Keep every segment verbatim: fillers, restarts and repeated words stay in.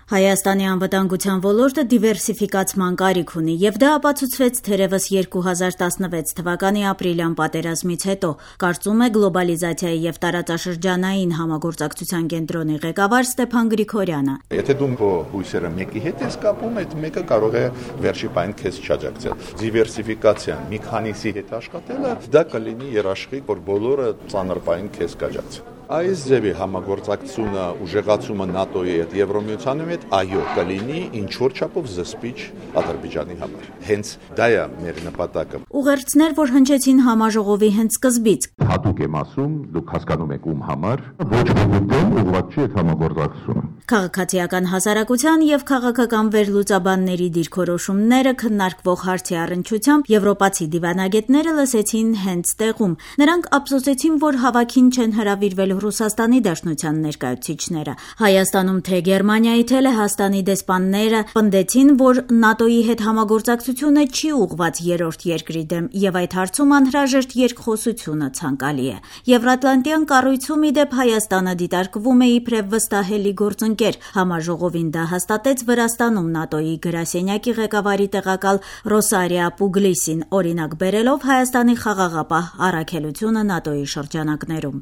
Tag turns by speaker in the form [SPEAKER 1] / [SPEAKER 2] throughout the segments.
[SPEAKER 1] Հայաստանի անվտանգության ոլորտը դիվերսիֆիկացման կարիք ունի, եւ դա ապացուցվեց թերևս երկու հազար տասնվեց թվականի ապրիլյան պատերազմից հետո, կարծում է գլոբալիզացիայի եւ տարածաշրջանային համագործակցության կենտրոնի ղեկավար Ստեփան Գրիգորյանը։
[SPEAKER 2] Եթե դու քո հույսերը մեկի հետ ես կապում, այդ մեկը կարող է վերջի պայն քեզ չաջակցել։ Դիվերսիֆիկացիան մի քանիսի հետ աշխատելը դա կլինի երաշխիք, որ բոլորը ծանր պայն քեզ կաջակցեն։ Այս ձևի համագործակցությունը ուժեղացումը ՆԱՏՕ-ի հետ Եվրոմիությանի հետ այո կլինի ինչ-որ չափով զսպիչ Ադրբեջանի համար։ Հենց դա է մեր նպատակը։
[SPEAKER 1] Ուղերձներ, որ հնչեցին համաժողովի հենց սկզբից։
[SPEAKER 3] Հատուկ եմ ասում, դուք հասկանում եք ում համար, ոչ ոքի դեմ ուղղված չի այդ համագործակցությունը։
[SPEAKER 1] Քաղաքացիական հասարակության եւ քաղաքական վերլուծաբանների դիրքորոշումները քննարկվող հարցի առնչությամբ եվրոպացի դիվանագետները լսեցին հենց տեղում։ Նրանք ափսոսեցին, որ հավաքին չեն հրավիրվել Ռուսաստանի Դաշնության ներկայացուցիչները։ Հայաստանում թե Գերմանիայի, թե Լեհաստանի դեսպանները պնդեցին, որ ՆԱՏՕ-ի հետ համագործակցությունը չի ուղղված երրորդ երկրի դեմ եւ այդ հարցում անհրաժեշտ երկխոսությունը ցանկալի է։ Եվրատլանտյան կառույցում ի դեպ Հայաստանը դիտարկվում է իբրև վստահելի գործընկեր։ Համաժողովին դա հաստատեց Վրաստանում ՆԱՏՕ-ի գրասենյակի ղեկավարի տեղակալ Ռոսարիա Պուգլիսին, օրինակ բերելով Հայաստանի խաղաղապահ առաքելությունը ՆԱՏՕ-ի շրջանակներում։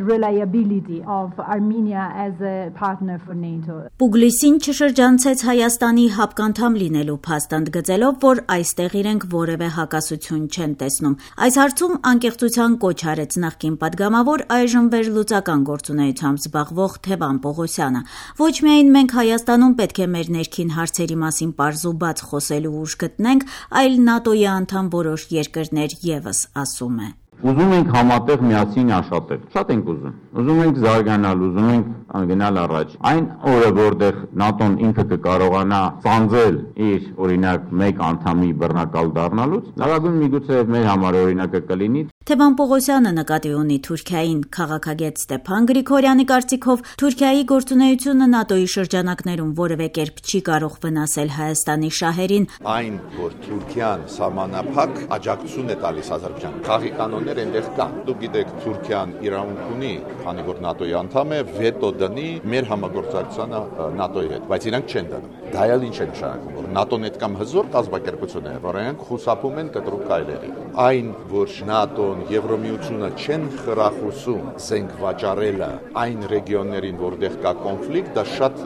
[SPEAKER 4] Reliability of Armenia as a partner for NATO.
[SPEAKER 1] Պուգլիսին չշրջանցեց Հայաստանի հապկանդամ լինելու փաստ ընդգծելով, որ այստեղ իրենք որևէ հակասություն չեն տեսնում։ Այս հարցում անկեղծության կոչ արեց նախկին падգամավոր այժմ վերլուծական գործունեությամբ զբաղվող Թևան Պողոսյանը։ Ոչ միայն մենք Հայաստանում պետք է մեր ներքին հարցերի մասին պարզ ու բաց խոսելու ուժ գտնենք, այլ ՆԱՏՕ-ի անդամ որոշ երկրներ եւս, ասում է։
[SPEAKER 3] Ուզում ենք համատեղ միասին աշխատել։ Շատ ենք ուզում։ Ուզում ենք զարգանալ, ուզում ենք գնալ առաջ։ Այն օրը, որտեղ ՆԱՏՕ-ն ինքը կկարողանա ծանձել իր օրինակ մեկ անդամի բռնակալ դառնալուց, լավագույն միգուցե մեր համար օրինակը կլինի։
[SPEAKER 1] Թևան Պողոսյանը նկատի ունի Թուրքիային։ Քաղաքագետ Ստեփան Գրիգորյանի կարծիքով Թուրքիայի գործունեությունը ՆԱՏՕ-ի շրջանակներում որևէ կերպ չի կարող վնասել Հայաստանի շահերին։
[SPEAKER 2] Այն, որ Թուրքիան սահմանափակ աջակցություն է տալիս Ադրբեջանին, խաղի կանոններ այնտեղ կան։ Դուք գիտեք, Թուրքիան իրավունք ունի, քանի որ ՆԱՏՕ-ի անդամ է, վետո դնի մեր համագործակցությանը ՆԱՏՕ-ի հետ, բայց իրանք չեն դնում։ Դա էլ ինչ է նշանակում, որ ՆԱՏՕ-ն այդքան հզոր կազմակերպություն է, որ նրանք խուսափում են կտրուկ քայլերի։ Այն, որ ՆԱՏՕ-ն Եվրոմիությունը չեն խրախուսում զենք վաճառելը այն ռեգիոններին, որտեղ կա կոնֆլիկտ, դա շատ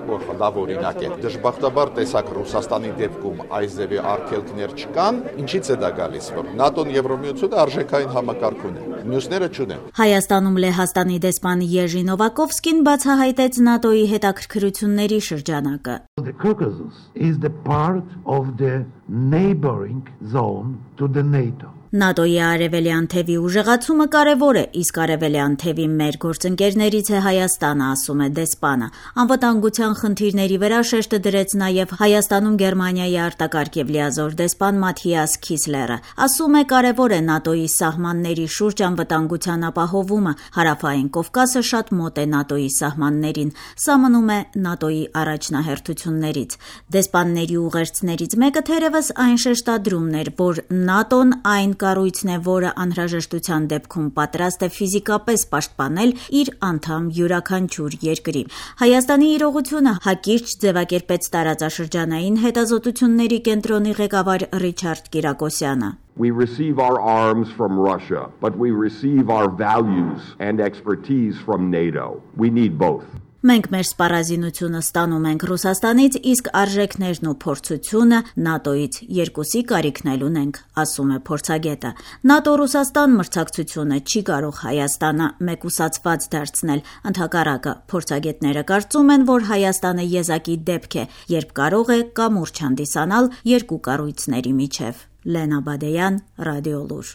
[SPEAKER 2] լավ օրինակ է։ Դժբախտաբար տեսակ Ռուսաստանի դեպքում այս ձևի արգելքներ չկան, ինչից է դա գալիս, որ ՆԱՏՕ-ն Եվրոմիությունը արժեքային համակարգ ունի, մյուսները չունեն։
[SPEAKER 1] Հայաստանում Լեհաստանի դեսպան Եժի Նովակովսկին բացահայտեց ՆԱՏՕ-ի հետաքրքրությունների շրջանակը։
[SPEAKER 5] The Caucasus is the part of the neighboring zone to the NATO.
[SPEAKER 1] ՆԱՏՕ-ի արևելյան թևի ուժեղացումը կարևոր է, իսկ արևելյան թևի մեր գործընկերներից է Հայաստանը, ասում է դեսպանը։ Անվտանգության խնդիրների վրա շեշտը դրեց նաև Հայաստանում Գերմանիայի արտակարգ եւ լիազոր դեսպան Մաթիաս Քիսլերը։ Ասում է կարևոր է ՆԱՏՕ-ի սահմանների շուրջ անվտանգության ապահովումը։ Հարավային Կովկասը շատ մոտ է ՆԱՏՕ-ի սահմաններին։ Սա մնում է ՆԱՏՕ-ի առաջնահերթություններից։ Դեսպանների ուղերձներից մեկը թերևս այն շեշտադրումն էր, որ ՆԱՏՕ-ն այն կառույցն է, որը անհրաժեշտության դեպքում պատրաստ է ֆիզիկապես պաշտպանել իր անդամ յուրաքանչյուր երկրի։ Հայաստանի իրողությունը հակիրճ ձևակերպեց տարածաշրջանային հետազոտությունների կենտրոնի ղեկավար Ռիչարդ Կիրակոսյանը։
[SPEAKER 6] We receive our arms from Russia, but we receive our values and expertise from NATO. We need both.
[SPEAKER 1] Մենք մեր սպառազինությունը ստանում ենք Ռուսաստանից, իսկ արժեքներն ու փորձությունը ՆԱՏՕ-ից երկուսի կարիքն էլ ունենք, ասում է փորձագետը։ ՆԱՏՕ-Ռուսաստան մրցակցությունը չի կարող Հայաստանը մեկուսացված դարձնել։ Ընդհակառակը, փորձագետները կարծում են, որ Հայաստանը եզակի դեպք է, երբ կարող է կամուրջ հանդիսանալ երկու կառույցների միջև։ Լենա Բադեյան, Ռադիոլուր։